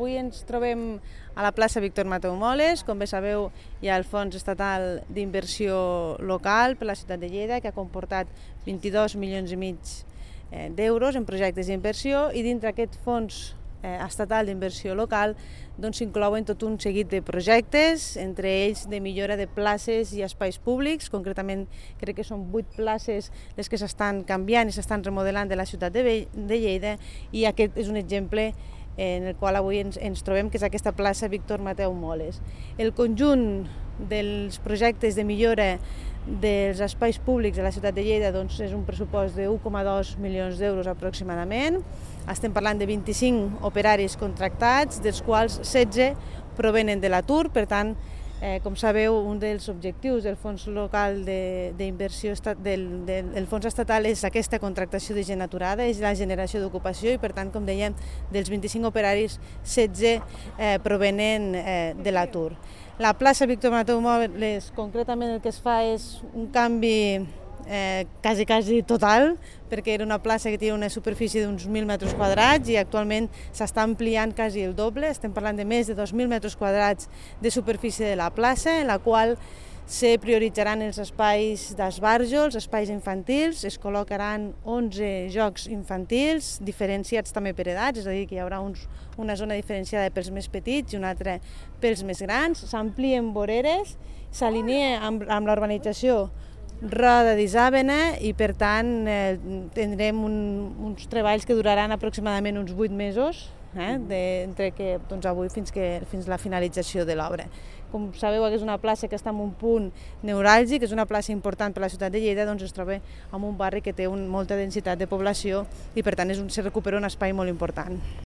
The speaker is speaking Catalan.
Avui ens trobem a la plaça Víctor Mateu Moles. Com bé sabeu, hi ha el Fons Estatal d'Inversió Local per la ciutat de Lleida, que ha comportat 22,5 milions d'euros en projectes d'inversió, i dintre aquest fons estatal d'inversió local s'inclouen tot un seguit de projectes, entre ells de millora de places i espais públics. Concretament crec que són 8 places les que s'estan canviant i s'estan remodelant de la ciutat de Lleida, i aquest és un exemple en el qual avui ens trobem, que és aquesta plaça Víctor Mateu Moles. El conjunt dels projectes de millora dels espais públics de la ciutat de Lleida és un pressupost de 1,2 milions d'euros aproximadament. Estem parlant de 25 operaris contractats, dels quals 16 provenen de l'atur. Per tant, com sabeu, un dels objectius del Fons Local d'Inversió del Fons Estatal és aquesta contractació de gent aturada, és la generació d'ocupació, i per tant, com dèiem, dels 25 operaris, 16 provenen de l'atur. La plaça Víctor Mateu Moles, concretament, el que es fa és un canvi quasi total, perquè era una plaça que tenia una superfície d'uns 1.000 metres quadrats i actualment s'està ampliant quasi el doble. Estem parlant de més de 2.000 metres quadrats de superfície de la plaça, en la qual se prioritzaran els espais d'esbarjo, els espais infantils. Es col·locaran 11 jocs infantils, diferenciats també per edats, és a dir, que hi haurà una zona diferenciada pels més petits i una altra pels més grans. S'amplien voreres, s'alinea amb la urbanització Roda d'Isàvena, i per tant tindrem uns treballs que duraran aproximadament uns 8 mesos, entre avui fins la finalització de l'obra. Com sabeu, és una plaça que està en un punt neuràlgic, és una plaça important per a la ciutat de Lleida, es troba en un barri que té molta densitat de població i per tant se recupera un espai molt important.